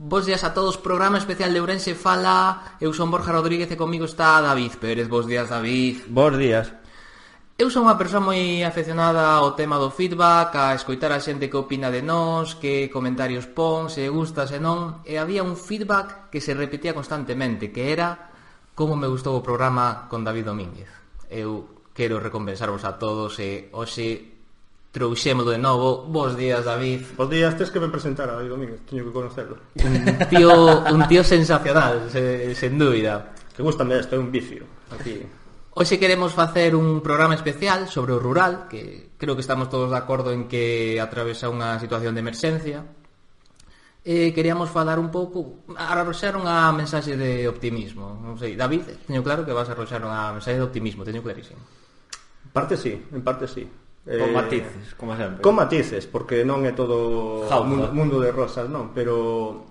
Bos días a todos, programa especial de Ourense fala. Eu son Borja Rodríguez e comigo está David Pérez. Bos días, David. Bos días. Eu son unha persoa moi aficionada ao tema do feedback, a escoitar a xente que opina de nós, que comentarios pon, se gusta, se non. E había un feedback que se repetía constantemente, que era como me gustou o programa con David Domínguez. Eu quero recompensarvos a todos e hoxe trouxémolo de novo. Bos días, David. Bos días, tes que me presentar a David Domínguez, teño que conocerlo. Un tío sensacional, sen dúbida. Que gustame isto, é un vicio aquí. Hoxe queremos facer un programa especial sobre o rural, que creo que estamos todos de acordo en que atravesa unha situación de emerxencia. E queríamos falar un pouco, arroxar unha mensaxe de optimismo. Non sei, David, teño claro que vas a arroxar unha mensaxe de optimismo, teño clarísimo. En parte sí. Con matices, como sempre. Con matices, porque non é todo mundo de rosas, non, pero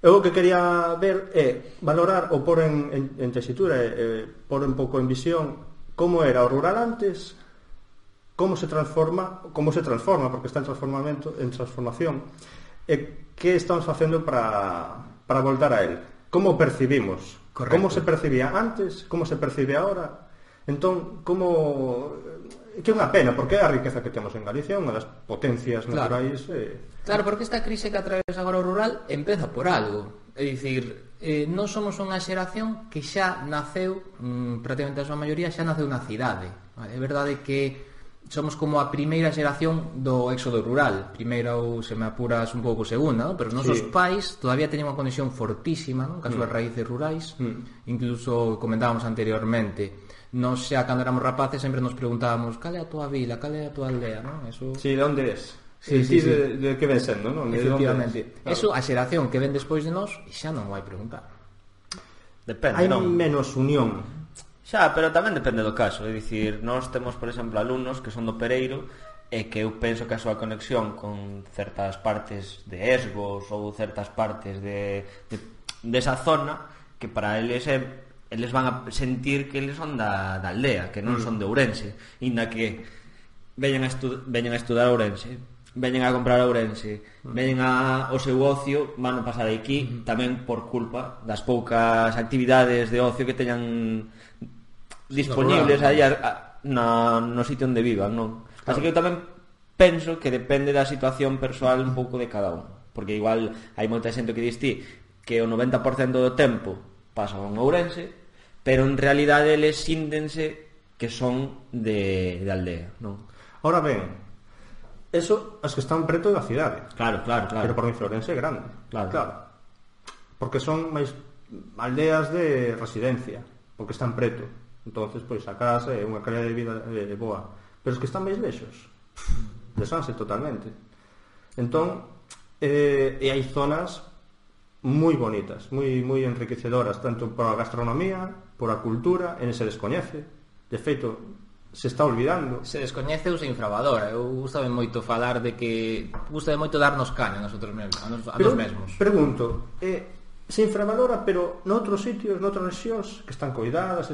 eu o que quería ver é valorar ou pôr en tesitura e pôr un pouco en visión como era o rural antes, como se transforma, porque está en transformación, e que estamos facendo para voltar a él. Como percibimos? Correcto. Como se percibía antes, como se percibe ahora? Entón, que é unha pena, porque é a riqueza que temos en Galicia, unha das potencias naturais. Claro, porque esta crise que atravesa agora o rural empeza por algo. É dicir, nós somos unha xeración que xa naceu, prácticamente a súa maioría xa naceu na cidade. É verdade que somos como a primeira xeración do éxodo rural. Primeira, ou se me apuras un pouco segunda, ¿no? Pero os nosos pais todavía teñen unha conexión fortísima, ¿no? Cas súas raíces rurais. Incluso comentábamos anteriormente, nós xa cando éramos rapaces sempre nos preguntábamos cal é a tua vila, cal é a tua aldea, non? Eso... Sí, de onde es? Sí. De que ven sendo, non? Efectivamente. Claro. Eso, a xeración que ven despois de nós xa non vai preguntar. Depende, hai non? Menos unión. Xa, pero tamén depende do caso. É dicir, nós temos, por exemplo, alumnos que son do Pereiro e que eu penso que a súa conexión con certas partes de Esgos ou certas partes desa zona, que para eles van a sentir que eles son da aldea, que non son de Ourense, inda que veñen a estudar a Ourense, veñen a comprar a Ourense, veñen o seu ocio, van a pasar aquí tamén por culpa das poucas actividades de ocio que teñan disponibles aí no sitio onde vivan, non? Así que eu tamén penso que depende da situación persoal un pouco de cada un, porque igual hai moita xente que dis ti que o 90% do tempo pasan en Ourense, pero en realidade eles síntense que son de aldea, non? Ahora ben, eso as que están preto da cidade. Claro. Pero por Ourense é grande. Claro. Porque son máis aldeas de residencia, porque están preto. Entonces, pois a casa é unha calidad de vida boa. Pero os que están máis lexos desanse totalmente. Entón, e hai zonas moi bonitas, moi enriquecedoras, tanto por a gastronomía, por a cultura, e se descoñece. De feito, se está olvidando. Se descoñece ou se infravalora. Eu gustame moito falar de que gustame moito darnos caña a nosotros mesmos, a nos mesmos. Pregunto, se infravalora, pero noutros sitios, noutras rexións que están coidadas,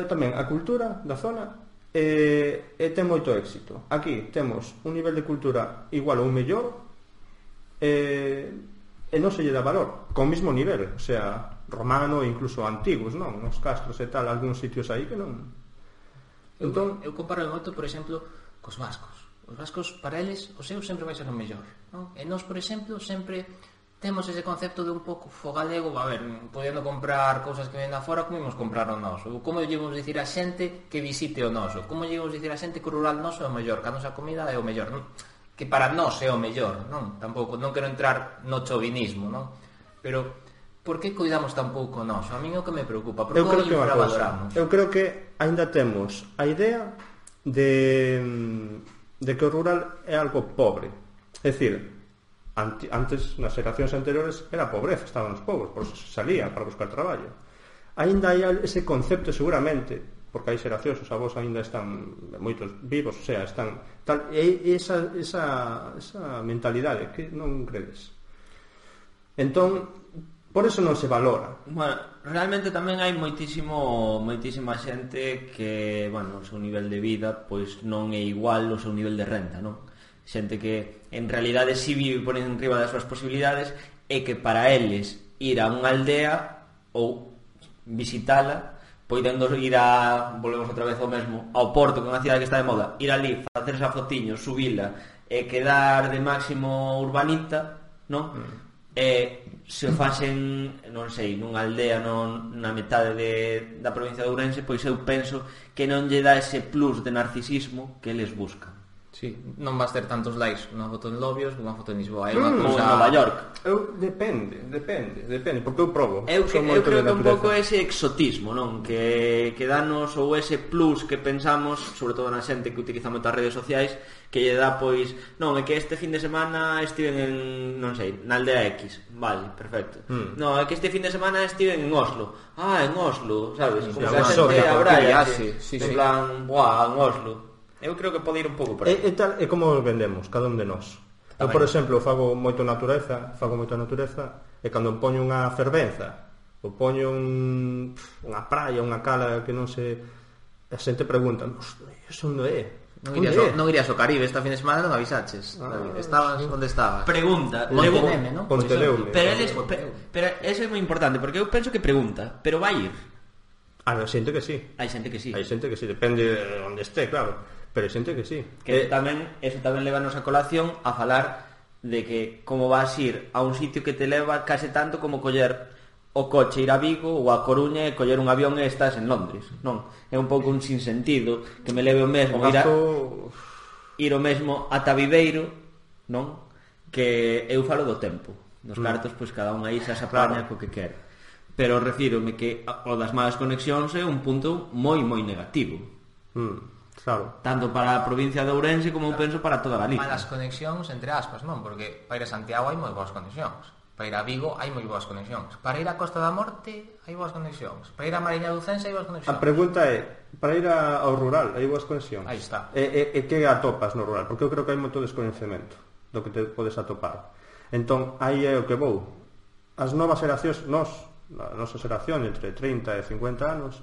tamén a cultura da zona ten moito éxito. Aquí temos un nivel de cultura igual ou mellor, e non se lle dá valor con o mesmo nivel, o sea, romano e incluso antigos, non? Nos castros e tal, algúns sitios aí que non. Entón, eu comparo moito, por exemplo, cos vascos. Os vascos, para eles, o seu sempre vai ser o mellor, non? E nós, por exemplo, sempre temos ese concepto de un pouco fogalego, a ver, podendo comprar cousas que ven da fora, como imos comprar o noso? Como lle vamos dicir a xente que visite o noso? Como lle vamos dicir a xente que o rural noso é o mellor, que a nosa comida é o mellor, non? Que para nós é o mellor, non? Tampouco, non quero entrar no chauvinismo, non? Pero, por que cuidamos tan pouco nós? A min é o que me preocupa, porque o infravaloramos. Eu creo que aínda temos a idea de que o rural é algo pobre. É dicir, antes, nas xeracións anteriores, era pobreza, estaban os pobres, por eso se salía para buscar traballo. Aínda hai ese concepto, seguramente, porque hai xeracións, os avós aínda están moitos vivos, o sea, están tal, e esa mentalidade que non credes. Entón, por eso non se valora. Bueno, realmente tamén hai moitísima xente que, bueno, o seu nivel de vida pois non é igual ao seu nivel de renta, non? xente que en realidade si vive por enriba das súas posibilidades, e que para eles ir a unha aldea ou visitala, podendo ir volvemos outra vez ao mesmo, ao Porto, que é unha cidade que está de moda, ir ali, facerse a fotiño, subila e quedar de máximo urbanita, non? Se o facen, non sei, nunha aldea na metade da provincia de Ourense, pois eu penso que non lle dá ese plus de narcisismo que eles buscan. Sí, non vas ter tantos likes unha foto en Lobios que unha foto en Lisboa. Ou en Nova York. Depende, porque eu probo. Eu creo que un pouco ese exotismo, non? Que danos, ou ese plus que pensamos, sobre todo na xente que utiliza moitas redes sociais, que lle dá, pois, non, é que este fin de semana estiven en, non sei, na aldea X. Vale, perfecto. Non, é que este fin de semana estiven en Oslo. En Oslo, sabes? Como que a xente abralla, en plan, en Oslo. Eu creo que pode ir un pouco por aí. É como vendemos, cada un de nós. Eu, por exemplo, fago moita natureza, e cando poño unha fervenza, ou poño unha praia, unha cala que non se... A xente pregunta, iso onde é? Non irías ao Caribe esta fin de semana, non avisaches. Estabas onde estabas? Pregunta. Monteneme, non? Ponteleume. Pero eso é moi importante, porque eu penso que pregunta, pero vai ir. Hai xente que sí. Hai xente que sí. Depende de onde esté, claro. Pero hai xente que sí. Que eso tamén levanos a colación a falar de que como vas ir a un sitio que te leva case tanto como coller o coche, ir a Vigo ou a Coruña e coller un avión e estás en Londres, non? É un pouco un sinsentido que me leve o mesmo ir o mesmo ata Viveiro, non? Que eu falo do tempo. Nos cartos, pois cada un aí se apaña co que quere. Pero refírome que o das malas conexións é un punto moi moi negativo. Claro. Tanto para a provincia de Ourense como eu penso para toda Galicia. Malas conexións, entre aspas, non? Porque para ir a Santiago hai moi boas conexións. Para ir a Vigo hai moi boas conexións. Para ir a Costa da Morte hai boas conexións. Para ir a Mariña do Cense hai boas conexións. A pregunta é, para ir ao rural hai boas conexións? Aí está. E que atopas no rural? Porque eu creo que hai moito descoñecemento do que te podes atopar. Entón, aí é o que vou. As novas xeracións, a nosa xeración entre 30 e 50 anos,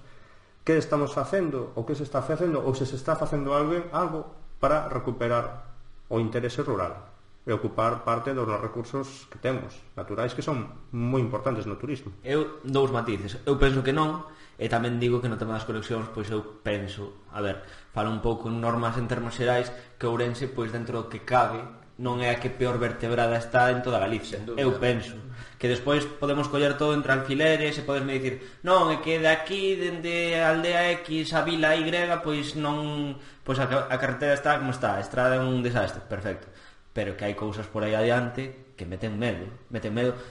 que estamos facendo, ou que se está facendo, ou se está facendo algo para recuperar o interese rural e ocupar parte dos recursos que temos naturais, que son moi importantes no turismo. Eu dous matices. Eu penso que non, e tamén digo que no tema das conexións, pois eu penso, falo un pouco en normas en termos xerais, que Ourense, pois dentro do que cabe, non é a que peor vertebrada está en toda Galicia. Eu penso que despois podemos coller todo entre alfileres e podesme dicir, non, é que de aquí dende a aldea X a vila Y, pois non, pois a carretera está como está, a estrada é un desastre, perfecto. Pero que hai cousas por aí adiante que meten medo.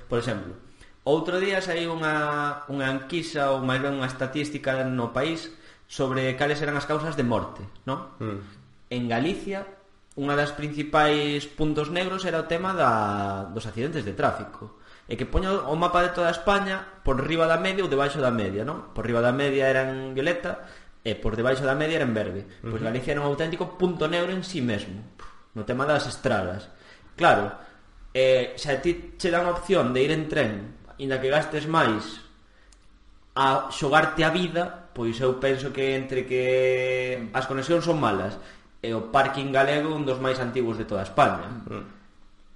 Por exemplo, outro día saiu unha enquisa ou máis ben unha estatística no país sobre cales eran as causas de morte, non? En Galicia, unha das principais puntos negros era o tema dos accidentes de tráfico. E que poño o mapa de toda España por riba da media ou debaixo da media, non? Por riba da media era en violeta e por debaixo da media era en verde. Pois Galicia era un auténtico punto negro en sí mesmo, no tema das estradas. Claro, se a ti che dan a opción de ir en tren, inda que gastes máis a xogarte a vida, pois eu penso que entre que as conexións son malas e o parking galego un dos máis antigos de toda España,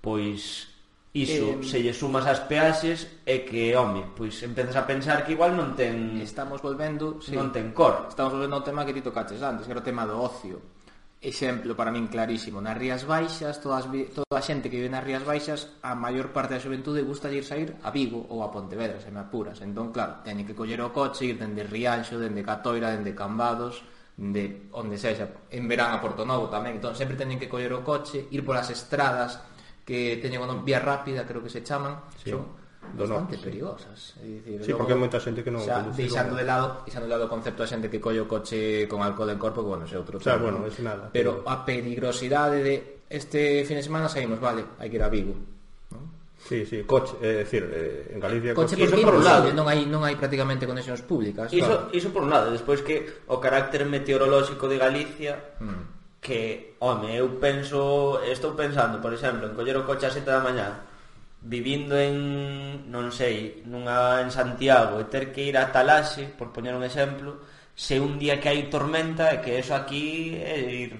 pois iso, se lle sumas as peaxes é que, pois empezas a pensar que igual non ten... Estamos volvendo... non ten cor. Estamos volvendo ao tema que ti tocaches antes, que era o tema do ocio. Exemplo, para min clarísimo, nas Rías Baixas, toda a xente que vive nas Rías Baixas, a maior parte da xuventude gusta de ir sair a Vigo ou a Pontevedra, se me apuras. Entón, claro, teñen que coller o coche, ir dende Rianxo, dende Catoira, dende Cambados, de onde sexa, en verán a Portonovo tamén. Entón, sempre teñen que coller o coche, ir polas estradas que teñen unha vía rápida, creo que se chaman, son bastante perigosas. É dicir, sí, porque hai moita xente que non conduce. Deixando de lado o concepto da xente que colle o coche con alcohol en corpo, que, bueno, é outro tema. Bueno, é nada. Pero a peligrosidade de este fin de semana saímos, vale, hai que ir a Vigo, non? Sí, coche, é dicir, en Galicia coche por un lado, non hai prácticamente conexións públicas. Iso por un lado, despois que o carácter meteorolóxico de Galicia, que, eu estou pensando, por exemplo, en coller o coche a 7 da mañá, vivindo en, non sei, en Santiago, e ter que ir a Talaxe, por poñer un exemplo, se un día que hai tormenta, que eso aquí é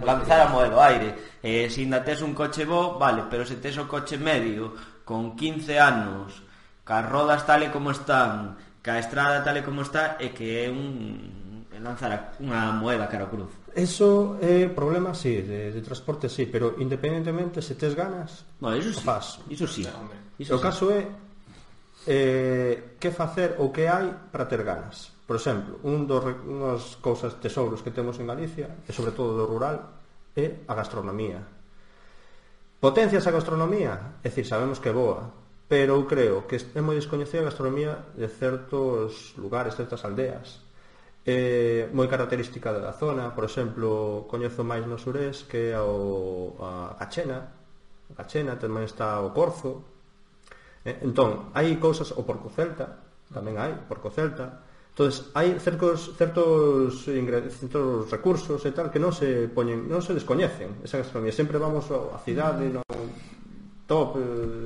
lanzar a moeda ao aire. Se ainda tes un coche bo, vale, pero se tes o coche medio con 15 anos, cas rodas tal e como están, ca estrada tal e como está, é que é lanzar unha moeda cara ao cruz. Eso é problema, sí, de transporte, sí, pero independentemente se tes ganas, eso sí, faz. Iso sí. O caso é que facer ou que hai para ter ganas. Por exemplo, unhas cousas tesouros que temos en Galicia, e sobre todo do rural, é a gastronomía. Potencias a gastronomía? É dicir, sabemos que é boa, pero eu creo que é moi descoñecida a gastronomía de certos lugares, certas aldeas. É moi característica da zona. Por exemplo, coñezo máis no surés que é a Cachena, tamén está o Corzo. Entón, hai cousas, o Porco Celta, tamén hai Porco Celta. Entonces, hai certos recursos e tal que non se descoñecen esa gastronomía. Sempre vamos á cidade, no top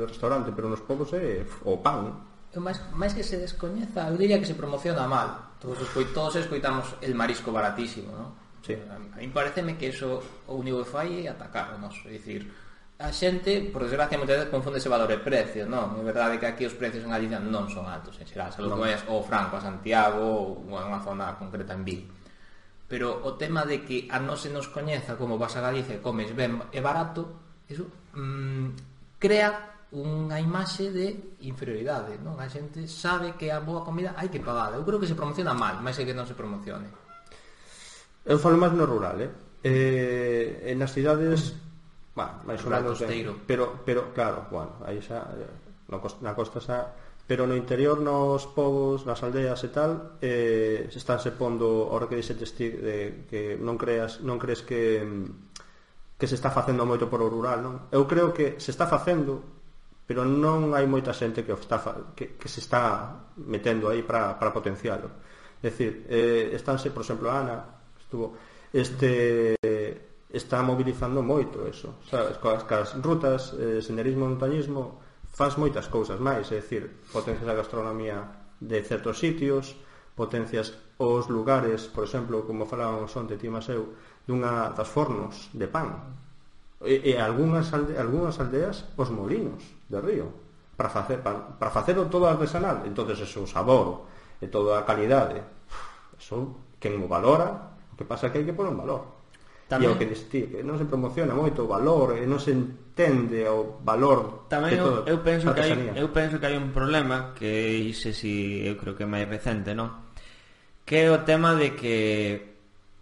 restaurante, pero nos povos é o pan. Máis que se descoñeza, eu diría que se promociona mal. Todos escoitamos el marisco baratísimo, ¿no? Sí. A mí pareceme que eso o único que fai é atacar, ¿no? É dicir, a xente, por desgracia, moitas veces confunde ese valor e precio, non? É verdade que aquí os precios en Galicia non son altos, en xeral, salvo que vayas ao Franco, a Santiago ou a unha zona concreta en Vigo. Pero o tema de que a non se nos coñeza como vas a Galicia e comes ben e barato, eso crea unha imaxe de inferioridade, non? A xente sabe que a boa comida hai que pagala. Eu creo que se promociona mal, máis que non se promocione. Eu falo máis no rural, nas cidades, máis ou menos, pero claro, aí xa na costa xa, pero no interior, nos povos, nas aldeas e tal, se estánse pondo, ahora que dixetes ti, que non crees que se está facendo moito por o rural, non? Eu creo que se está facendo, pero non hai moita xente que se está metendo aí para potencialo. É dicir, estánse, por exemplo, Ana está mobilizando moito eso, sabes? Cas rutas, senderismo, montañismo, faz moitas cousas máis, é dicir, potencias a gastronomía de certos sitios, potencias os lugares, por exemplo, como falábamos onte ti Maseu, dunha das fornos de pan, e algunhas aldeas os molinos de río para facelo todo artesanal. Entonces eso, o sabor e toda a calidade, eso quen o valora, o que pasa é que hai que pôr un valor. Tamén, e o que diste, que non se promociona moito o valor e non se entende o valor tamén de todo. Eu penso que hai un problema que eu creo que é máis recente, non? Que é o tema de que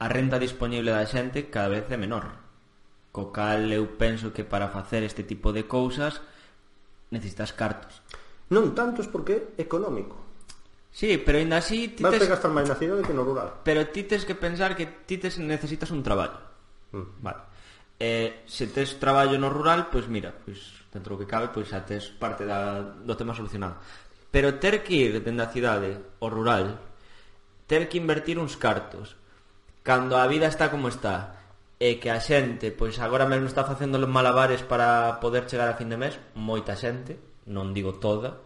a renta disponible da xente cada vez é menor, co cal eu penso que para facer este tipo de cousas necesitas cartos. Non tantos porque é económico. Sí, pero ainda así vas a gastar máis na cidade que no rural. Pero ti tes que pensar que ti necesitas un traballo. Vale. Se tes traballo no rural, pois mira, pois dentro do que cabe, pois xa tes parte do tema solucionado. Pero ter que ir dende a cidade ao rural, ter que invertir uns cartos cando a vida está como está, e que a xente, pois agora mesmo está facendo os malabares para poder chegar a fin de mes, moita xente, non digo toda,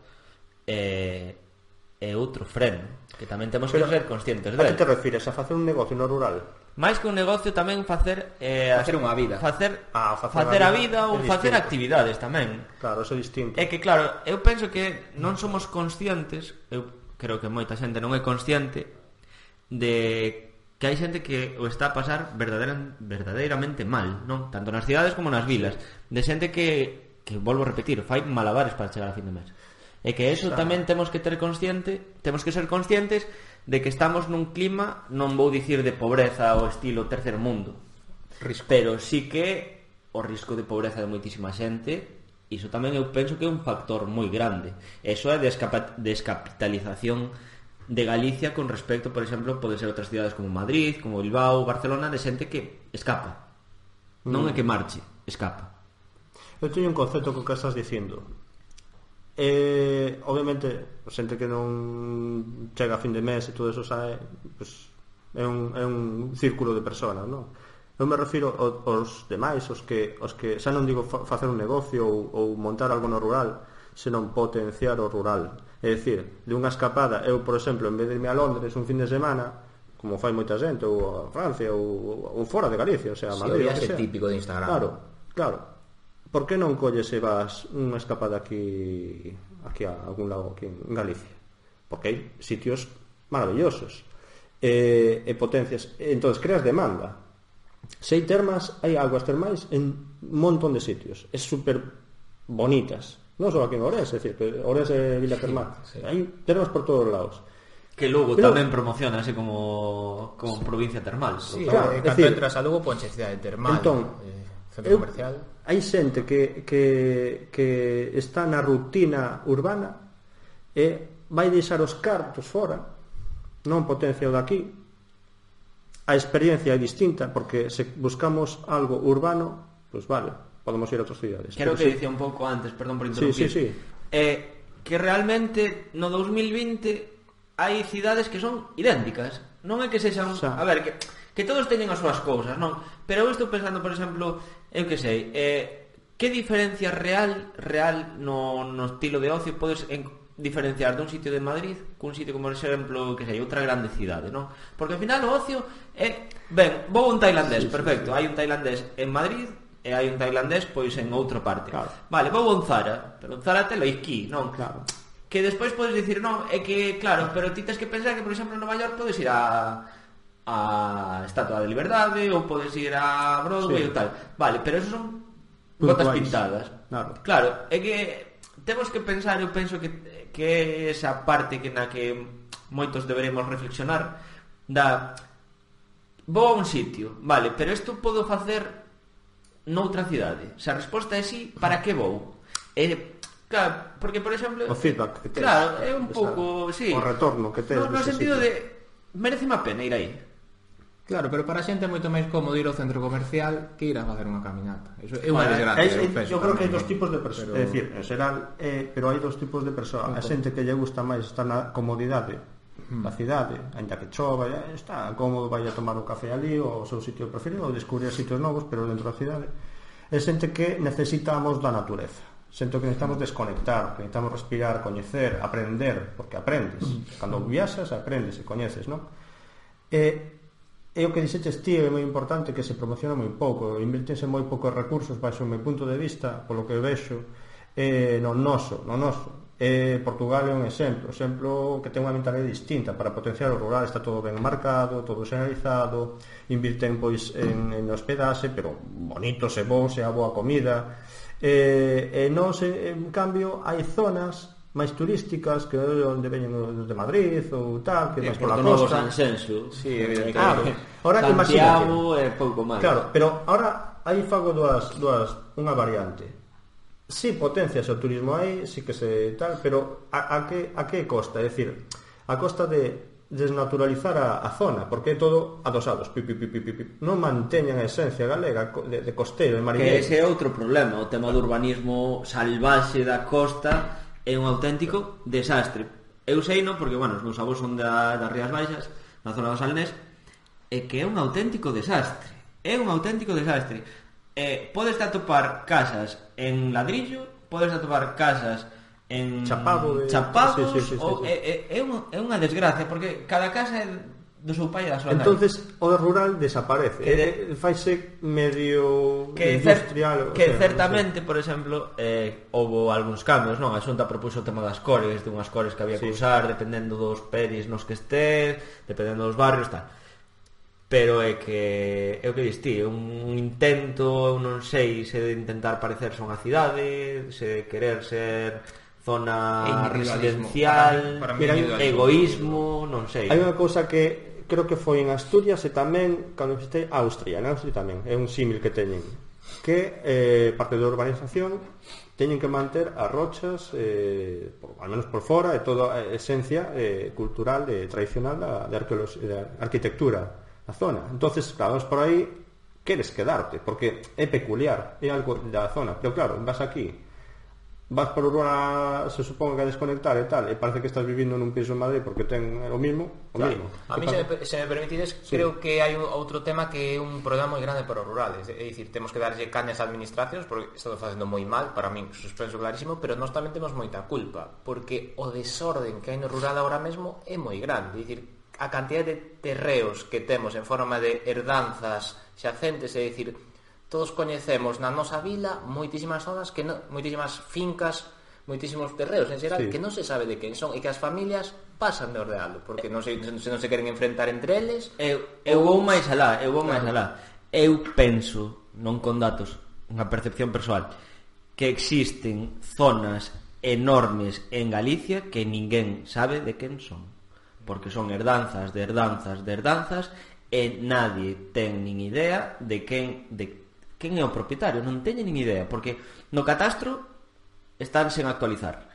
é outro freno que tamén temos que ser conscientes de. A que te refires? A facer un negocio no rural? máis que un negocio tamén facer unha vida, facer a vida ou facer actividades tamén. Claro, eso é distinto. É que claro, eu penso que non somos conscientes, eu creo que moita xente non é consciente de que hai xente que o está a pasar verdadeiramente mal, non? Tanto nas cidades como nas vilas, de xente que volvo a repetir, fai malabares para chegar a fin de mes. E que eso tamén temos que ser conscientes de que estamos nun clima, non vou dicir de pobreza ao estilo terceiro mundo, pero sí que o risco de pobreza de moitísima xente, iso tamén eu penso que é un factor moi grande. Eso é descapitalización de Galicia con respecto, por exemplo, pode ser outras cidades como Madrid, como Bilbao, Barcelona, de xente que escapa, non é que marche, escapa. Eu teño un concepto co que estás dicindo. Obviamente, xente que non chega a fin de mes e todo eso sabe, pues, é un círculo de persoas, non? Eu me refiro aos demais, os que xa non digo facer un negocio ou montar algo no rural, senón potenciar o rural. É dicir, de unha escapada, eu, por exemplo, en vez de irme a Londres un fin de semana, como fai moita xente, ou a Francia, ou fora de Galicia, o sea, Madrid, o viaxe típico de Instagram. Claro. Por que non colles e vas unha escapada aquí a algún lado aquí en Galicia? Porque hai sitios maravillosos e potencias. Entonces creas demanda. Se hai termas, hai aguas termais en un montón de sitios. É super bonitas. Non só aquí en Ourense, é dicir, que Ourense é Vila Termal. Sí. Hai termas por todos os lados. Que Lugo tamén promociona así como provincia termal. Sí, claro, cando entras a Lugo ponche cidade termal. Entón, centro comercial. Hai xente que está na rutina urbana e vai deixar os cartos fora, non potencia o daqui. A experiencia é distinta, porque se buscamos algo urbano, pues vale, podemos ir a outras cidades. Quero que dicía un pouco antes, perdón por interrumpir. Sí. Que realmente no 2020 hai cidades que son idénticas. Non é que sexan, a ver, que todos teñen as súas cousas, non? Pero eu estou pensando, por exemplo, eu que sei, que diferencia real no estilo de ocio podes diferenciar dun sitio de Madrid cun sitio como, por exemplo, que sei, outra grande cidade, non? Porque ao final o ocio é, ben, vou a un tailandés, perfecto, hai un tailandés en Madrid e hai un tailandés pois en outra parte. Claro. Vale, vou a un Zara, pero un Zara telo aquí, non? Claro. Que despois podes dicir, non, é que, claro, pero ti tens que pensar que, por exemplo, en Nova York podes ir a Estatua de Liberdade ou podes ir a Broadway ou tal. Vale, pero eso son gotas pintadas. Claro, é que temos que pensar, eu penso que esa parte que na que moitos deberemos reflexionar da vou a un sitio, vale, pero isto podo facer noutra cidade. Se a resposta é sí, para que vou? Claro, porque, por exemplo, o feedback que tes, claro, é un pouco, sí, o retorno que tes no sentido de merece má pena ir aí. Claro, pero para a xente é moito máis cómodo ir ao centro comercial que ir a facer unha caminata. Eso é unha desgracia. Eu creo que hai dos tipos de persoas, é dicir, en xeral, pero hai dos tipos de persoas. A xente que lle gusta máis estar na comodidade da cidade, ainda que chova, está cómodo, vai a tomar un café ali ou o seu sitio preferido, ou descubrir sitios novos, pero dentro da cidade. É xente que necesitamos da natureza. Sento que necesitamos desconectar, que necesitamos respirar, coñecer, aprender, porque aprendes. Cando viaxas, aprendes e coñeces, non? E o que dixeches ti é moi importante, que se promociona moi pouco, invertense moi poucos recursos baixo o meu punto de vista, polo que vexo, no noso. Portugal é un exemplo que ten unha mentalidade distinta para potenciar o rural, está todo ben marcado, todo xeneralizado, invirten pois en hospedaxe, pero bonitos e bons, e a boa comida. Nos, en cambio, hai zonas máis turísticas que onde veñen os de Madrid ou tal, que máis pola costa. Sanxenxo, sí, claro. Ahora Santiago é pouco máis. Claro, pero ahora aí fago dúas unha variante. Si potencias o turismo aí, si que se tal, pero a que costa? É dicir, a costa de desnaturalizar a zona, porque é todo adosados, non manteñen a esencia galega de costeiro, de mariñeiro. Que ese é outro problema, o tema do urbanismo salvaxe da costa é un auténtico desastre. Eu sei, non, porque, bueno, os meus avós son das Rías Baixas, na zona do Salnés, e que é un auténtico desastre. Podes atopar casas en ladrillo, podes atopar casas en chapados, sí. É unha desgracia, porque cada casa é do seu pai e da súa nai. Entonces o rural desaparece, faise medio industrial, que certamente, por exemplo, houve algúns cambios, non? A Xunta propuxo o tema das cores, de unhas cores que había que usar dependendo dos peris nos que estés, dependendo dos barrios, tal. Pero é que o que diste, un intento, eu non sei se de intentar parecerse a unha cidade, se de querer ser zona residencial, para egoísmo, non sei. Hai unha cousa que creo que foi en Asturias e tamén cando visitei Austria, en Austria tamén é un símil que teñen, que parte da urbanización teñen que manter as rochas, al menos por fora, e toda a esencia cultural e tradicional de arquitectura da zona. Entonces, claro, por aí queres quedarte, porque é peculiar, é algo da zona, pero claro, vas aquí, vas por urbana, se supón que a desconectar e tal, e parece que estás vivindo nun piso en Madrid porque ten o mismo. A mí, se me permitides, sí. Creo que hai outro tema que é un problema moi grande para os rurales, é dicir, temos que darlle cañas a administracións porque están facendo moi mal, para min suspenso clarísimo, pero nós tamén temos moita culpa, porque o desorden que hai no rural agora mesmo é moi grande, é dicir, a cantidad de terreos que temos en forma de herdanzas xacentes, é dicir, todos coñecemos na nosa vila moitísimas zonas que moitísimas fincas, moitísimos terreos en xeral que non se sabe de quen son e que as familias pasan de ordealo porque non se queren enfrentar entre eles. Eu vou máis alá. Eu penso, non con datos, unha percepción persoal, que existen zonas enormes en Galicia que ninguén sabe de quen son, porque son herdanzas de herdanzas de herdanzas e nadie ten nin idea de quen é o propietario, non teñen nin idea, porque no catastro están sen actualizar,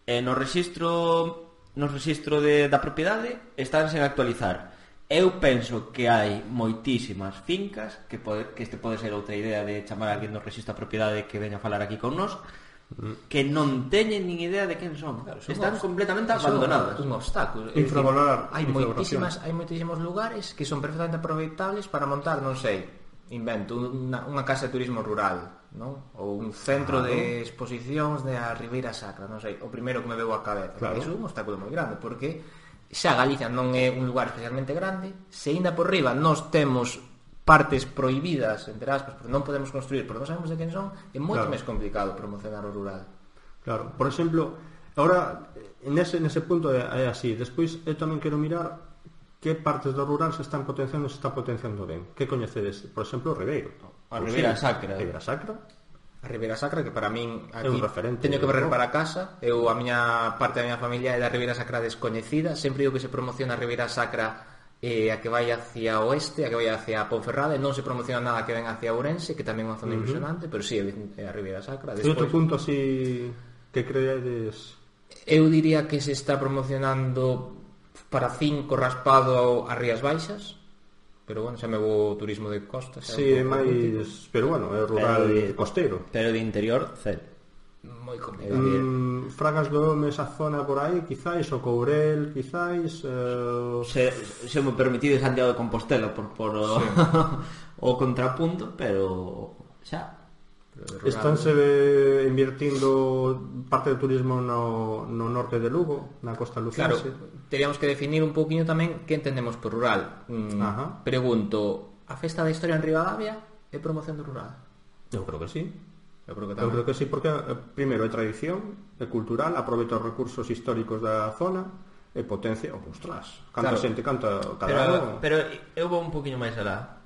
e no registro da propiedade están sen actualizar. Eu penso que hai moitísimas fincas que este pode ser outra idea de chamar a alguén do registro da propiedade que veña a falar aquí con nós, que non teñen nin idea de quen son, están completamente abandonadas. Un obstáculo. Infravalorar. Hai moitísimos lugares que son perfectamente aproveitables para montar, non sei, invento unha casa de turismo rural, non? Ou un centro de exposicións de a Ribeira Sacra, non sei, o primeiro que me veu á cabeza. Iso é un obstáculo moi grande, porque xa Galicia non é un lugar especialmente grande, se ainda por riba nós temos partes prohibidas, entre aspas, porque non podemos construir, porque non sabemos de quen son, é moito máis complicado promocionar o rural. Claro, por exemplo, agora nese punto é así. Despois eu tamén quero mirar que partes do rural se está potenciando ben. Que coñecedes? Por exemplo, o Ribeiro. A Ribeira Sacra. A Ribeira Sacra, que para min aquí é un referente, teño que barrer para casa. A miña parte da miña familia é da Ribeira Sacra descoñecida. Sempre digo que se promociona a Ribeira Sacra a que vai hacia oeste, a que vai hacia Ponferrada, e non se promociona nada que ven hacia Ourense, que tamén é unha zona impresionante, pero sí, é a Ribeira Sacra. E outro punto así que creedes? Eu diría que se está promocionando para 5 raspado a Rías Baixas, pero bueno, xa me vou turismo de costa. Sí, é máis, pero bueno, é rural costeiro. Pero de interior, cero. Moi complicado. Fragas do Home, esa zona por aí, quizáis, o Courel, quizáis... Se me permitido Santiago de Compostela por o contrapunto, pero xa. Estánse invirtindo parte do turismo no norte de Lugo, na costa lucense. Claro, teríamos que definir un poquinho tamén que entendemos por rural. Pregunto, a Festa da Historia en Ribadavia é promoción do rural? Eu creo que sí. Eu creo que sí, porque primeiro é tradición, é cultural, aproveita os recursos históricos da zona e potencia, ostras, canta xente, canta cada ano. Pero eu vou un poquinho máis alá.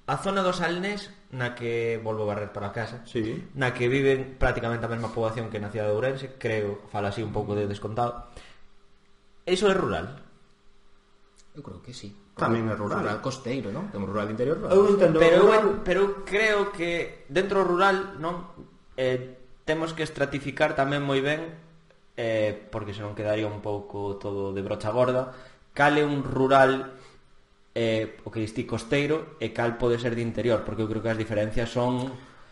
A zona do Salnés, na que volvo a barrer para casa, na que viven prácticamente a mesma poboación que na cidade de Ourense, creo, fala así un pouco de descontado. Iso é rural? Eu creo que sí. Tamén é rural. Rural costeiro, non? Temos rural interior rural. Eu entendo pero creo que dentro do rural, non, temos que estratificar tamén moi ben, porque senón quedaría un pouco todo de brocha gorda, cal é un rural o que distí costeiro e cal pode ser de interior, porque eu creo que as diferencias son...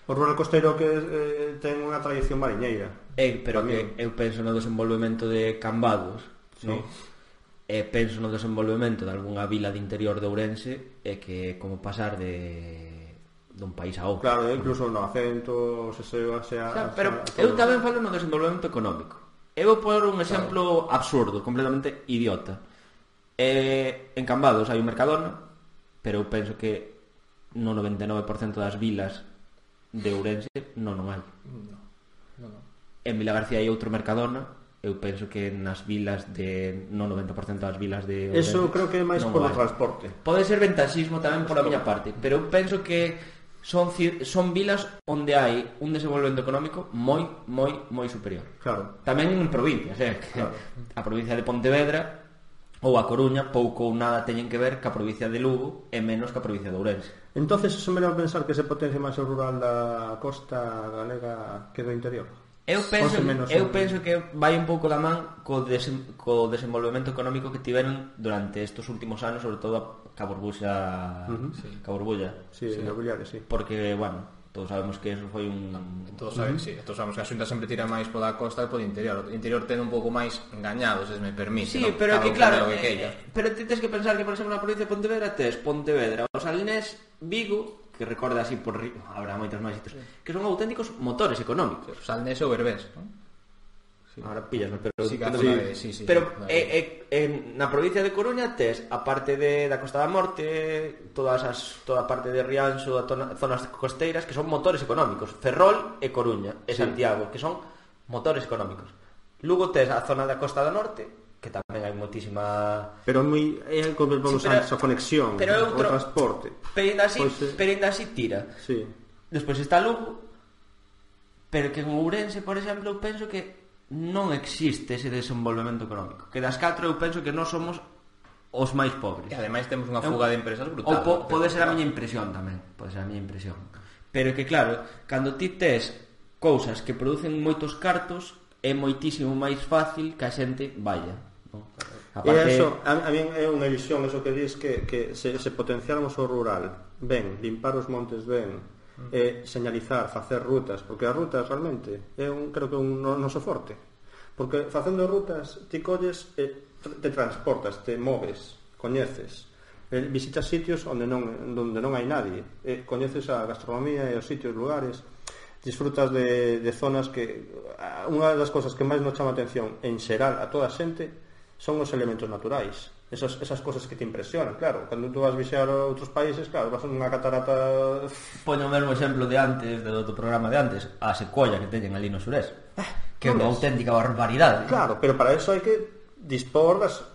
O rural costeiro que ten unha tradición mariñeira. Pero que eu penso no desenvolvemento de Cambados, non? Penso no desenvolvemento de algunha vila de interior de Ourense e que como pasar dun país a outro. Claro, incluso no acento pero eu tamén falo no desenvolvemento económico. Eu vou poner un exemplo absurdo, completamente idiota. En Cambados hai un Mercadona, pero eu penso que no 99% das vilas de Ourense non hai. No. En Vilagarcía hai outro Mercadona. Eu penso que nas vilas no 90% das vilas de Ourense, eso creo que é máis polo transporte. Pode ser ventaxismo tamén pola miña parte, pero eu penso que son vilas onde hai un desenvolvemento económico moi superior. Claro. Tamén en provincias, claro. A provincia de Pontevedra ou a Coruña pouco ou nada teñen que ver ca provincia de Lugo e menos ca provincia de Ourense. Entonces, eso me leva a pensar que se potencia máis o rural da costa galega que do interior. Eu penso que vai un pouco da man co desenvolvemento económico que tiveron durante estes últimos anos, sobre todo a Caborbulla. Sí, sí. Porque, bueno, todos sabemos que eso foi un... Todos sabemos que a Xunta sempre tira máis pola costa e polo interior. O interior ten un pouco máis engañado, se me permite. Sí, ¿no? Pero que claro, pero tens que pensar que, por exemplo, na provincia de Pontevedra tes Pontevedra, o Salnés, Vigo, que recorda así por habrá moitos máis hitos, que son auténticos motores económicos. Salnés ou Berbés, non? Ahora píllame, pero na provincia de Coruña tes a parte da Costa da Morte, toda a parte de Rianxo, zonas costeiras que son motores económicos, Ferrol e Coruña e Santiago, que son motores económicos. Luego tes a zona da Costa da Norte, que tamén hai moitísima... Pero como vamos antes a conexión, o transporte. Pero ainda así tira. Sí. Despois está Lugo, pero que en Ourense, por exemplo, eu penso que non existe ese desenvolvemento económico. Que das 4 eu penso que non somos os máis pobres. E ademais temos unha fuga de empresas brutal. Ou pode ser a miña impresión tamén. Pode ser a miña impresión. Pero que claro, cando ti tes cousas que producen moitos cartos, é moitísimo máis fácil que a xente vaya, non? Aparte... E eso, a mí é unha ilusión eso que dis que se potenciáramos o rural, ben, limpar os montes ben, señalizar, facer rutas, porque as rutas realmente creo que é un noso forte, porque facendo rutas ti colles, te transportas, te moves, coñeces, visitas sitios onde non hai nadie, coñeces a gastronomía e os sitios, lugares, disfrutas de zonas que unha das cousas que máis nos chama a atención en xeral a toda a xente son os elementos naturais. Esas cosas que te impresionan, claro. Cando tú vas visitar outros países, claro, vas a unha catarata... Poño o mesmo exemplo de antes, do programa de antes, a secolla que teñen ali no surés, que é unha auténtica barbaridade. Claro, pero para eso hai que dispor das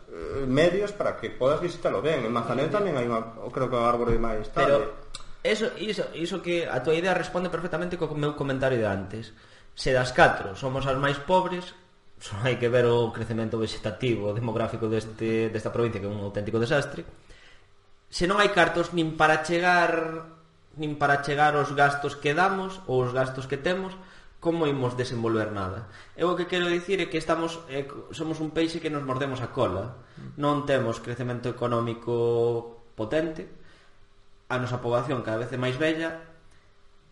medios para que podas visitarlo ben. En Manzanel tamén hai creo que unha árbore máis tarde. Pero iso que a tua idea responde perfectamente co meu comentario de antes. Se das 4 somos as máis pobres, só hai que ver o crecemento vegetativo demográfico desta provincia, que é un auténtico desastre. Se non hai cartos nin para chegar aos gastos que damos ou os gastos que temos, como imos desenvolver nada? Eu o que quero dicir é que somos un peixe que nos mordemos a cola. Non temos crecemento económico potente, a nosa poboación cada vez é máis bella,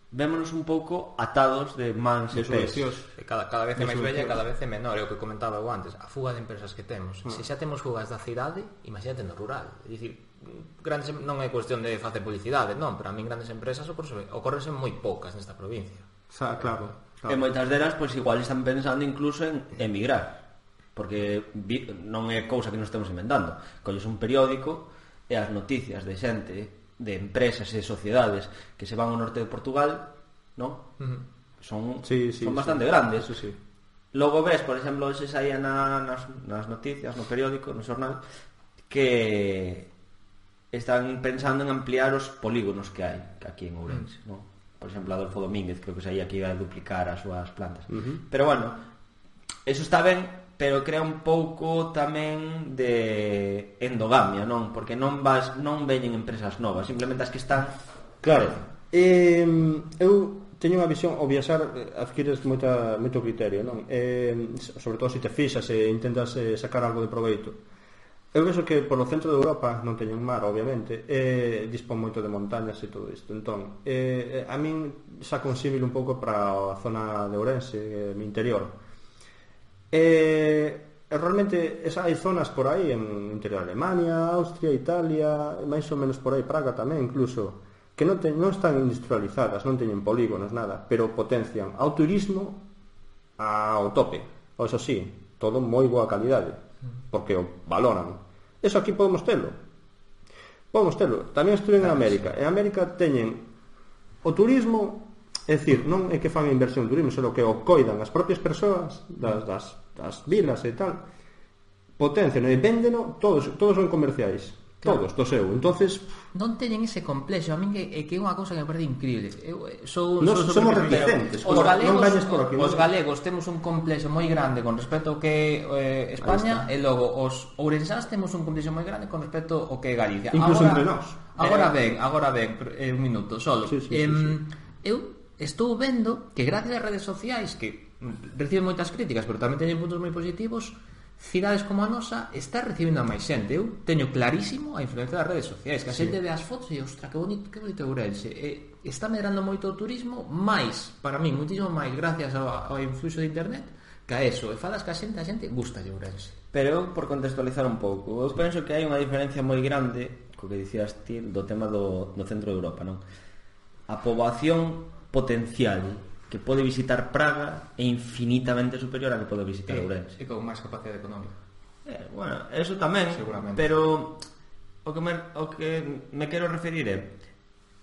vémonos un pouco atados de mans e pés. Cada vez é máis bella e cada vez é menor. É o que comentaba eu antes, a fuga de empresas que temos. Se xa temos fugas da cidade, imagínate no rural. É dicir, non é cuestión de facer publicidade, non, pero a min grandes empresas ocorrense moi poucas nesta provincia. Claro. E moitas delas, pois igual están pensando incluso en emigrar, porque non é cousa que nos estemos inventando. Colles un periódico e as noticias de xente, de empresas e sociedades que se van ao norte de Portugal, non? Son bastante grandes. Sí. Logo ves, por exemplo, se saía nas noticias, no periódico, no xornal, que están pensando en ampliar os polígonos que hai aquí en Ourense, non? Por exemplo, Adolfo Domínguez creo que saía que iba a duplicar as súas plantas. Pero bueno, eso está ben, pero crea un pouco tamén de endogamia, non? Porque non veñen empresas novas, simplemente as que están. Claro. Eu teño unha visión, ao viaxar adquires moito criterio, non? Sobre todo se te fixas e intentas sacar algo de proveito. Eu penso que por o centro de Europa non teñen mar, obviamente, dispón moito de montañas e todo isto. Entón, a min xa consímil un pouco para a zona de Ourense, mi interior. Realmente hai zonas por aí en interior de Alemania, Austria, Italia, máis ou menos por aí, Praga tamén incluso, que non están industrializadas, non teñen polígonos, nada, pero potencian ao turismo ao tope. Ou eso sí, todo moi boa calidade, porque o valoran. Eso aquí podemos telo. Tamén estuve en América. En América teñen o turismo. É dicir, non é que fan inversión en turismo, senón que o coidan as propias persoas das vilas e tal, potencian e véndeno, todos son comerciais, claro. Todos, do seu. Entonces non teñen ese complexo. A min é que é unha cousa que me parece increíble. Somos reticentes. Os galegos temos un complexo moi grande con respecto ao que é España, e logo os ourensáns temos un complexo moi grande con respecto ao que é Galicia. Incluso entre nós. Agora ben, un minuto solo. Sí. Eu estou vendo que gracias ás redes sociais, que reciben moitas críticas, pero tamén teñen puntos moi positivos, cidades como a nosa está recibindo a máis xente. Eu teño clarísimo a influencia das redes sociais, que a xente ve as fotos e, ostra, que bonito Ourense. Está medrando moito o turismo, máis, para mí, moitísimo máis gracias ao influxo de internet, que a eso. E falas que a xente gusta de Ourense. Pero eu, por contextualizar un pouco, eu penso que hai unha diferencia moi grande co que dicías ti do tema do centro de Europa, non? A poboación potencial que pode visitar Praga é infinitamente superior a que pode visitar Ourense. E con máis capacidade económica. Bueno, eso tamén, pero o que me quero referir é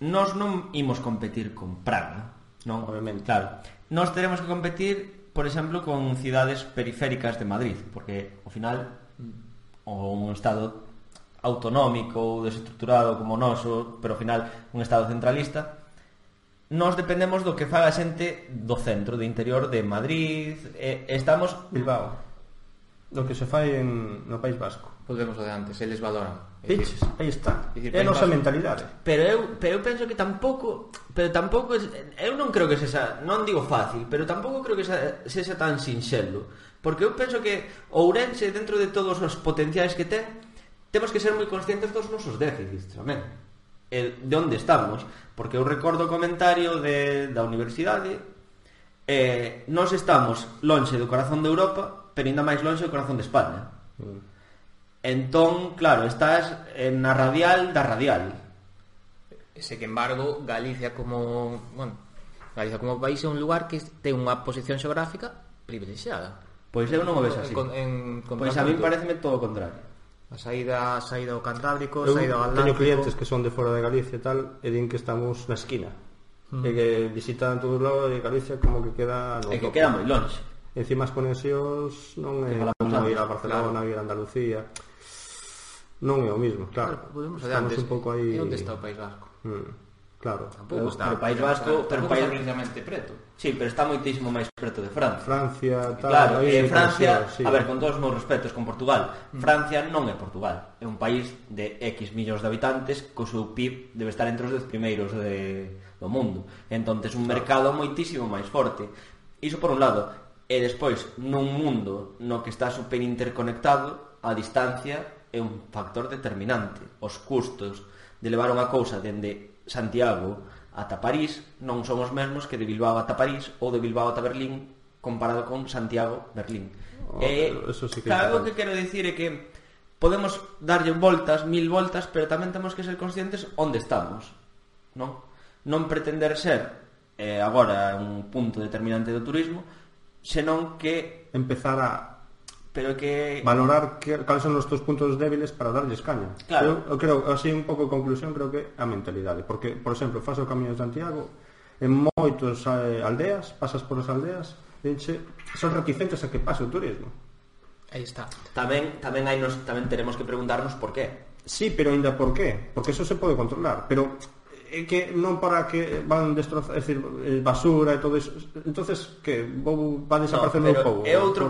nós non imos competir con Praga, non? Obviamente. Claro, nós teremos que competir, por exemplo, con cidades periféricas de Madrid, porque ao final un estado autonómico ou desestruturado como o noso, pero ao final un estado centralista, nós dependemos do que faga a xente do centro, do interior de Madrid, estamos... Bilbao, do que se fai no País Vasco. Volvemos ao de antes, eles valoran. Piches, aí está. É a nosa mentalidade. Pero eu penso que tampouco, eu non creo que sexa, non digo fácil, pero tampouco creo que sexa tan sinxelo, porque eu penso que Ourense, dentro de todos os potenciais que ten, temos que ser moi conscientes dos nosos déficits tamén, de onde estamos, porque eu recordo o comentario da universidade, nós estamos lonxe do corazón de Europa, pero ainda máis lonxe do corazón de España. Entón, claro, estás na radial da radial. Sen embargo, Galicia como país é un lugar que ten unha posición xeográfica privilexiada. Pois eu non o vexo así. Pois a mí pareceme todo o contrario. A saída ao Cantábrico, a saída ao Atlántico. Teño clientes que son de fora de Galicia e tal, e din que estamos na esquina. E que visitan todo o lado de Galicia como que queda no que queda moi longe. Encima as conexións non é como ir a Barcelona, ir a Andalucía. Non é o mismo, claro. Estamos un pouco aí. E onde está o País Vasco? Claro. Tampouco está. O País Vasco, pero o país precisamente preto. Sí, pero está moitísimo máis preto de Francia. Francia, tal. Claro, Francia, sí. A ver, con todos os meus respetos con Portugal, Francia non é Portugal. É un país de X millóns de habitantes, co seu PIB debe estar entre os 10 primeiros do mundo. Entonces, un mercado moitísimo máis forte. Iso por un lado. E despois, nun mundo no que está super interconectado, a distancia é un factor determinante. Os custos de levar unha cousa dende Santiago ata París non son os mesmos que de Bilbao ata París ou de Bilbao ata Berlín comparado con Santiago-Berlín. Eso sí que claro, o que quero dicir é que podemos darlle voltas, 1000 voltas, pero tamén temos que ser conscientes onde estamos, non pretender ser agora un punto determinante do turismo, senón que empezar a valorar cales son os teus puntos débiles para darlles caña. Claro. Eu creo, así un pouco de conclusión, creo que a mentalidade, porque, por exemplo, faz o Camiño de Santiago, en moitos aldeas, pasas por as aldeas, son reticentes a que pase o turismo. Aí está. Tamén teremos que preguntarnos por qué. Sí, pero ainda por qué? Porque eso se pode controlar, pero é que non para que van destrozar, é dicir, basura e todo iso. Entonces, que van desaparecer no povo. É outro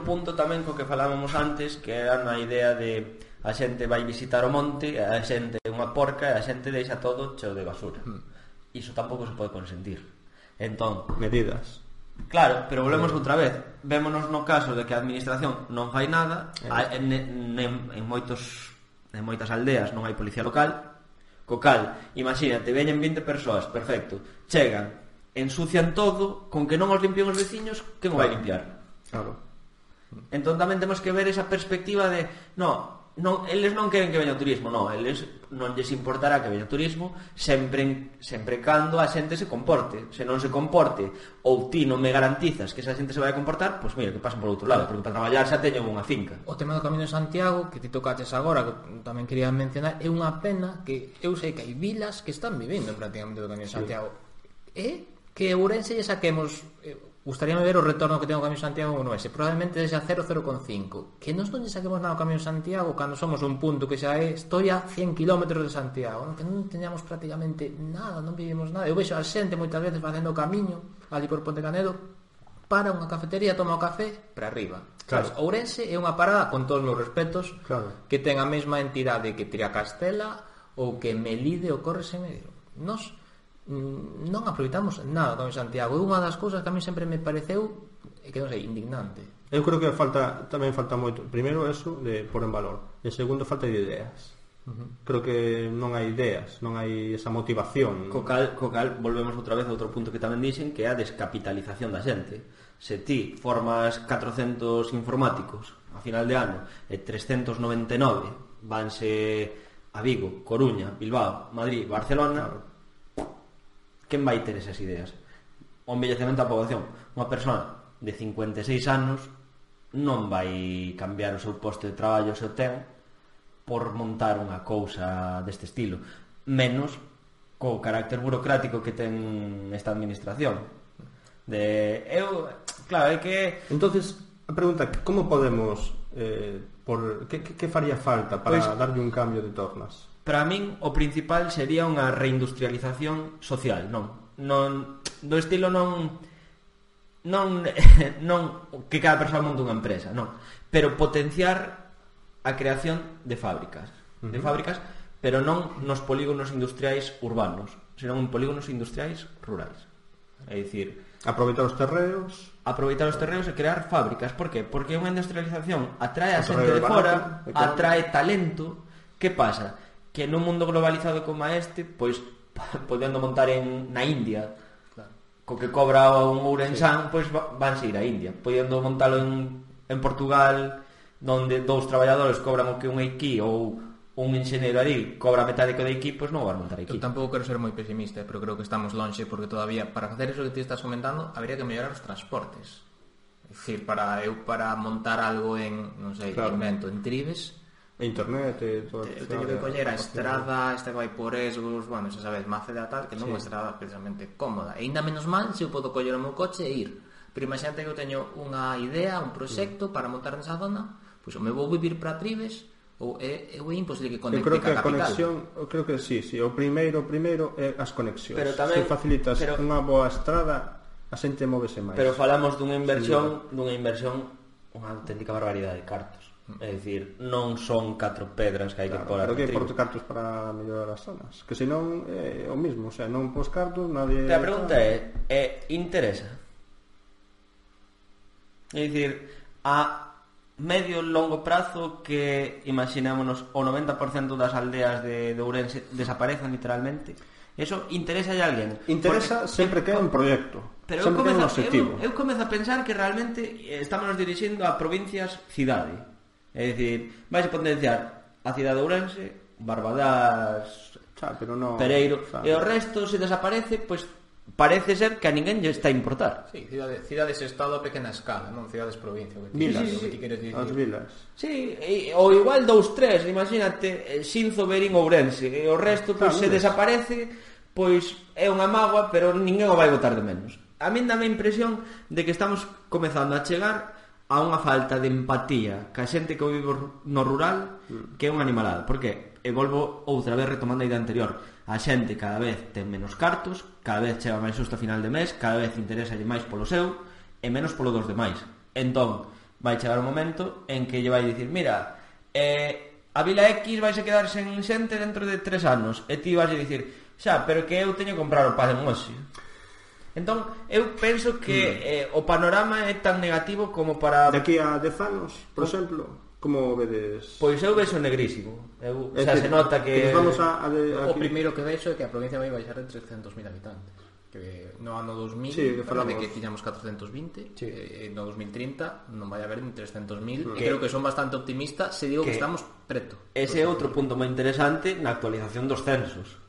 punto tamén co que falábamos antes, que era na idea de a xente vai visitar o monte, a xente é unha porca e a xente deixa todo cheo de basura. Iso tampouco se pode consentir. Entón, medidas. Claro, pero volvemos outra vez. Vémonos no caso de que a administración non fai nada, en moitas aldeas non hai policía local. Co cal, imagínate, veñen 20 persoas, perfecto, chegan, ensucian todo, con que non os limpien os veciños, quen o vai limpiar? Claro. Entón tamén temos que ver esa perspectiva de eles non queren que veña o turismo, eles non lles importará que veña o turismo sempre cando a xente se comporte. Se non se comporte ou ti non me garantizas que esa xente se vai a comportar, pois mira, que pasen por outro lado, porque para traballar xa teñen unha finca. O tema do Camiño de Santiago, que ti tocaches agora, que tamén quería mencionar, é unha pena que eu sei que hai vilas que están vivindo prácticamente do Camiño de Santiago. E que Ourense lle saquemos... Gustaríame ver o retorno que ten o Camiño de Santiago no ese. Probablemente desde a 0,05. Que nos non lle saquemos nada ao Camiño de Santiago cando somos un punto que xa é estoy a 100 km de Santiago, que non teñamos prácticamente nada, non vivimos nada. Eu vexo a xente moitas veces facendo o camiño ali por Ponte Canedo, para unha cafetería, toma o café para arriba. Claro. Ourense é unha parada, con todos os meus respetos, claro, que ten a mesma entidade que Triacastela ou que Melide ou Corres en Medio. Nos non aproveitamos nada con Santiago. É unha das cousas que a mí sempre me pareceu que non sei, indignante. Eu creo que tamén falta moito. Primeiro eso de pôr en valor, e segundo falta de ideas. Creo que non hai ideas, non hai esa motivación. Co cal volvemos outra vez a outro punto que tamén dixen, que é a descapitalización da xente. Se ti formas 400 informáticos a final de ano e 399 vanse a Vigo, Coruña, Bilbao, Madrid, Barcelona, claro, quen vai ter esas ideas? o envellecemento da poboación. Unha persona de 56 anos non vai cambiar o seu posto de traballo se o ten por montar unha cousa deste estilo, menos co carácter burocrático que ten esta administración. Claro, é que... Entonces, a pregunta, como podemos que faría falta para darlle un cambio de tornas? Para min o principal sería unha reindustrialización social, non do estilo non que cada persoa monte unha empresa, non, pero potenciar a creación de fábricas, pero non nos polígonos industriais urbanos, senón en polígonos industriais rurais. É dicir, aproveitar os terreos e crear fábricas. Por qué? Porque unha industrialización atrae a xente de fora, atrae talento. Que pasa? Que nun mundo globalizado como este, pois podendo montar na India, co que cobra un ourensán, pois vanse ir a India. Podendo montalo en Portugal, donde 2 traballadores cobran o que un aquí, ou un enxeñeiro ali cobra metade que de aquí, pois non vas montar aquí. Eu tampouco quero ser moi pesimista, pero creo que estamos lonxe, porque todavía, para facer eso que ti estás comentando, habría que mellorar os transportes. É dicir, para montar algo en, non sei, invento, en Tribes, internet e todo. Eu teño que coller a estrada, esta que vai por Esgos, bueno, xa sabes, Maceda tal, que non é unha estrada precisamente cómoda. E ainda menos mal se eu podo coller o meu coche e ir. Pero imagínate que eu teño unha idea, un proxecto para montar nesa zona, pois me vou vivir para Tribes, ou é imposible que conecte ca capital. Eu creo que sí, o primeiro é as conexións. Pero tamén, se facilitas unha boa estrada, a xente móvese máis. Pero falamos dunha inversión, unha auténtica barbaridade de cartos. É dicir, non son 4 pedras que hai que pôr a Pero que por cartos para mellorar as zonas? Que senón é o mismo, o sea, non pos cartos, nadie... A pregunta é interesa? É dicir, a medio e longo prazo que imaginémonos o 90% das aldeas de Ourense desaparezan literalmente, eso interesa a alguén? Interesa sempre que é un proxecto, sempre que é un objetivo. Eu comezo a pensar que realmente estamos dirixindo a provincias cidade. É dicir, vais a potenciar a cidade de Ourense, Barbadás, Pereiro, e o resto, se desaparece, pois parece ser que a ninguén lle está a importar. Sí, cidades-estado a pequena escala, non cidades-provincia. Vilas, as vilas. Sí, ou igual 2-3, imagínate, Xinzo, Berín, Ourense, e o resto, pois, se desaparece, pois é unha mágoa, pero ninguén o vai botar de menos. A min dame a impresión de que estamos comezando a chegar a unha falta de empatía ca xente que vive no rural, que é unha animalada. Por que? E volvo outra vez retomando a idea anterior. A xente cada vez ten menos cartos, cada vez chega máis xusto a final de mes, cada vez interesalle máis polo seu e menos polo dos demais. Entón, vai chegar un momento en que lle vai dicir, mira, a Vila X vai se quedar sen xente dentro de 3 anos, e ti vais a dicir, xa, pero que eu teño que comprar o pan en hoxe. Entón, eu penso que o panorama é tan negativo como para... De aquí a 10 anos, por exemplo, como vedes? Pois eu vexo negrísimo. Se nota que... O primeiro que vexo é que a provincia vai baixar de 300.000 habitantes. Que no ano 2000, de que tiñamos 420, no 2030 non vai haber ni 300.000. Creo que son bastante optimistas se digo que estamos preto. Ese é outro punto moi interesante na actualización dos censos,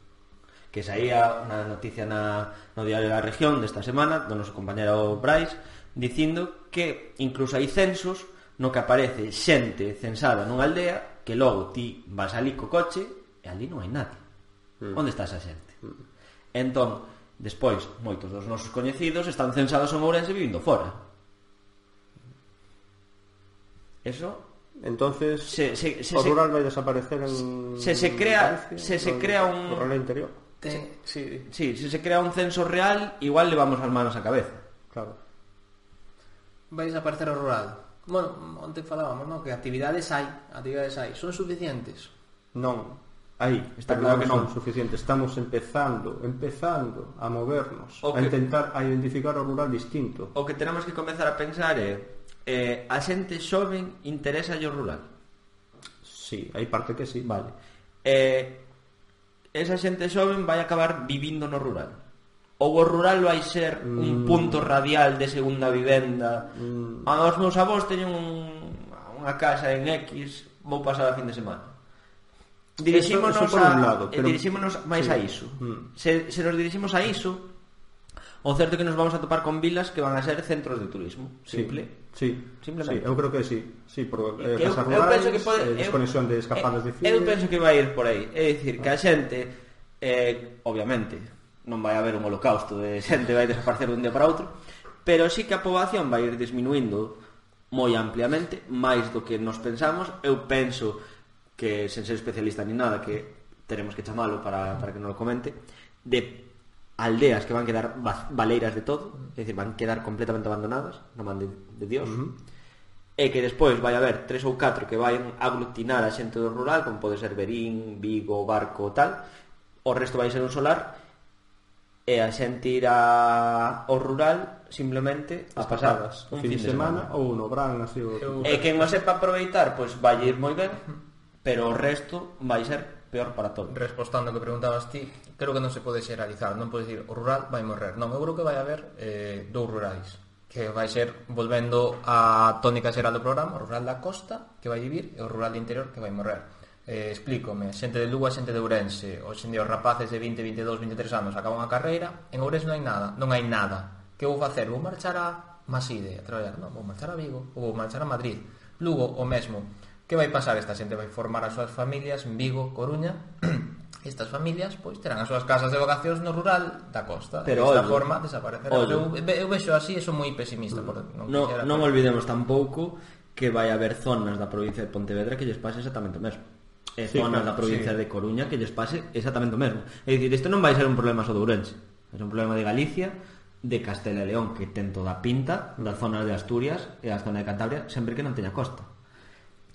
que saía unha noticia no diario da región desta semana do noso compañero Brais dicindo que incluso hai censos no que aparece xente censada nunha aldea que logo ti vas ali co coche e ali non hai nadie. Onde está esa xente? Entón, despois, moitos dos nosos coñecidos están censados en Ourense vivindo fora. Eso... Entonces, o rural vai desaparecer en... Se se crea un... rural interior. Se se crea un censo real, igual levamos as manos á cabeza. Claro. Vai desaparecer o rural. Bueno, onte falábamos, non? Que actividades hai, son suficientes? Non, aí, está claro que non suficientes. Estamos empezando a movernos, a intentar a identificar o rural distinto. O que tenemos que comezar a pensar é a xente xoven interesa o rural? Sí, hai parte que sí. Vale. Esa xente xoven vai acabar vivindo no rural? Ou o rural vai ser un punto radial de segunda vivenda? Os meus avós teñen unha casa en X, vou pasar a fin de semana. Dirixímonos máis a iso. Se nos diriximos a iso, O certo é que nos vamos a topar con vilas que van a ser centros de turismo. Simple. Sí, simplemente. Sí, eu creo que sí, por casas rurais, desconexión de escapadas de cine. Eu penso que vai ir por aí. É dicir, que a xente, obviamente, non vai haber un holocausto de xente vai desaparecer dun día para outro, pero sí que a poboación vai ir disminuindo moi ampliamente, máis do que nos pensamos. Eu penso que, sen ser especialista ni nada, que teremos que chamalo para que nos lo comente, de aldeas que van quedar baleiras de todo, é dicir, van quedar completamente abandonadas na man de Dios, e que despois vai haber 3 ou 4 que vayan aglutinar a xente do rural, como pode ser Verín, Vigo, Barco, tal. O resto vai ser un solar, e a xente irá ao rural simplemente a pasar un fin de semana ou no Bran, así. E quen o sepa aproveitar, pois vai ir moi ben, pero o resto vai ser peor para todos. Respostando que preguntabas ti, creo que non se pode xeralizar, non pode dicir o rural vai morrer. Non, eu creo que vai haber dous rurais, que vai ser, volvendo a tónica xeral do programa, o rural da costa que vai vivir e o rural do interior que vai morrer. Explícome, xente de Lugo e xente de Ourense, hoxe en día os rapaces de 20, 22, 23 anos acaban a carreira, en Ourense non hai nada. Que vou facer? Vou marchar a Maside a traballar? Non, vou marchar a Vigo ou vou marchar a Madrid. Lugo o mesmo. Que vai pasar? Esta xente vai formar as súas familias en Vigo, Coruña. Estas familias pois terán as súas casas de vacacións no rural da costa. Pero desta forma desaparecerá. Eu vexo así, son moi pesimista. Non olvidemos tampouco que vai haber zonas da provincia de Pontevedra que lles pase exactamente o mesmo. E zonas da provincia de Coruña que lles pase exactamente o mesmo. É dicir, isto non vai ser un problema só de Ourense, é un problema de Galicia, de Castela e León, que ten toda a pinta, das zonas de Asturias e a zona de Cantabria, sempre que non teña costa.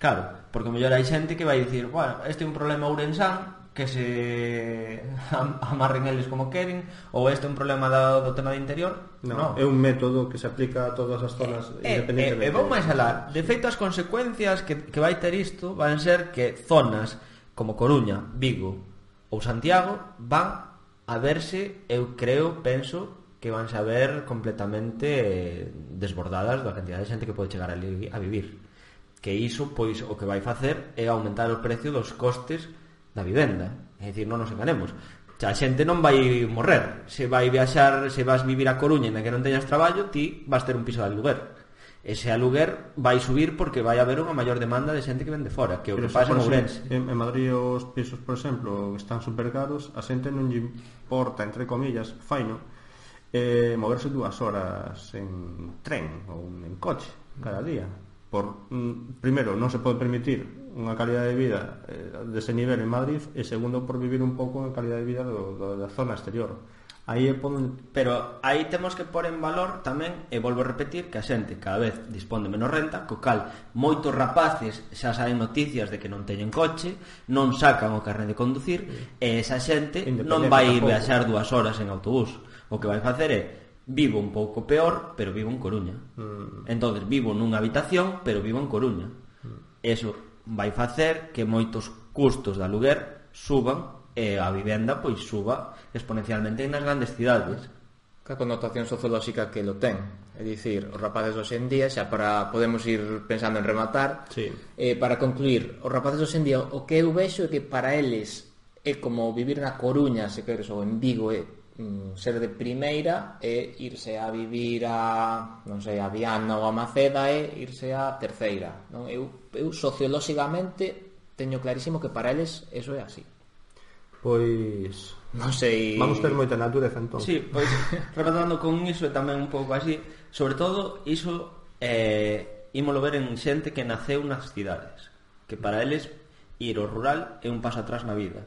Claro, porque mellor hai xente que vai dicir, bueno, este é un problema ourensán, que se amarren eles como queren, ou este é un problema do tema de interior. Non, é un método que se aplica a todas as zonas independentemente. E vou máis alá. De feito, as consecuencias que vai ter isto van ser que zonas como Coruña, Vigo ou Santiago van a verse, eu penso que van a ver completamente desbordadas da cantidad de xente que pode chegar ali a vivir. Que iso, pois, o que vai facer é aumentar o precio dos costes da vivenda. É dicir, non nos enganemos. A xente non vai morrer. Se vai viaxar, se vas vivir a Coruña e que non teñas traballo, ti vas ter un piso de aluguer. Ese aluguer vai subir porque vai haber unha maior demanda de xente que vende fora, que é o que pasa en Ourense. En Madrid os pisos, por exemplo, están super caros, a xente non lle importa, entre comillas, faino, moverse 2 horas en tren ou en coche cada día. Primeiro, non se pode permitir unha calidad de vida dese nivel en Madrid, e segundo, por vivir un pouco en calidad de vida da zona exterior. Pero aí temos que pôr en valor tamén, e volvo a repetir, que a xente cada vez dispón de menos renta, co cal moitos rapaces xa saben noticias de que non teñen coche, non sacan o carné de conducir, e esa xente non vai ir viaxar 2 horas en autobús. O que vai facer é vivo un pouco peor, pero vivo en Coruña. Entonces vivo nunha habitación, pero vivo en Coruña. Eso vai facer que moitos custos de aluguer suban e a vivenda pois suba exponencialmente nas grandes cidades. Que connotación sociolóxica que lo ten. É dicir, os rapaces hoxe en día, xa podemos ir pensando en rematar, para concluir, os rapaces hoxe en día, o que eu vexo é que para eles é como vivir na Coruña, se queres, ou en Vigo, ser de primeira e irse a vivir a, non sei, a Viana ou a Maceda e irse a terceira, non? Eu sociolóxicamente teño clarísimo que para eles eso é así. Pois non sei, vamos ter moita natureza entón. Sí, pois rematando con iso tamén un pouco así, sobre todo iso ímolo ver en xente que naceu nas cidades, que para eles ir ao rural é un paso atrás na vida.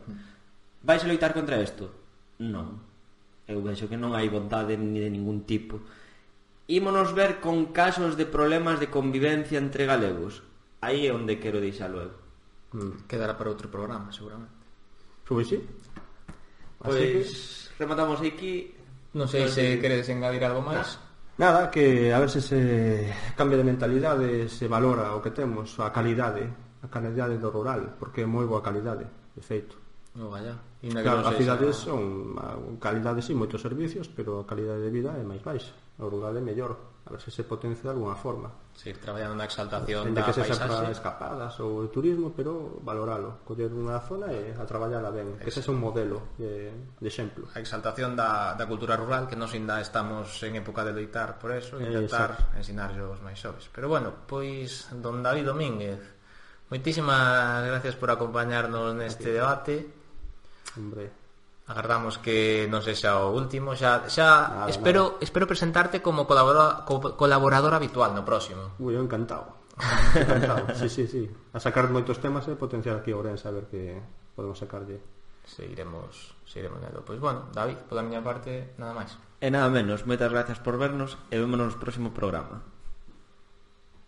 Vais a loitar contra isto? Non. Eu vexo que non hai vontade ni de ningún tipo. Ímonos ver con casos de problemas de convivencia entre galegos. Aí é onde quero deixalo eu. Quedará para outro programa, seguramente. Pois sí. Pois rematamos aquí. Non sei se queredes engadir algo máis. Nada, que a ver se cambia de mentalidade, se valora o que temos, a calidade do rural, porque é moi boa calidade, de feito. No, vaya. Claro, as cidades son a calidade, sí, moitos servicios, pero a calidade de vida é máis baixa. O rural é mellor. a ver se se potencia de alguna forma. Seguir traballando na exaltación da da paisaxe. Que se paisaxe. para escapadas ou turismo, pero valoralo, coller unha zona e a traballala ben, que ese é un modelo de exemplo. A exaltación da cultura rural, que nos ainda estamos en época de loitar por eso, intentar ensinarlle aos máis xoves. Pero bueno, pois don David Domínguez, moitísimas gracias por acompañarnos neste debate. Hombre, agardamos que non sexa o último. Espero presentarte como colaborador habitual no próximo. Eu encantado. Sí. A sacar moitos temas e potenciar aquí a Ourense, a ver que podemos sacarlle. Seguiremos nelo. Pois bueno, David, pola miña parte, nada máis. E nada menos, moitas gracias por vernos e vémonos no próximo programa.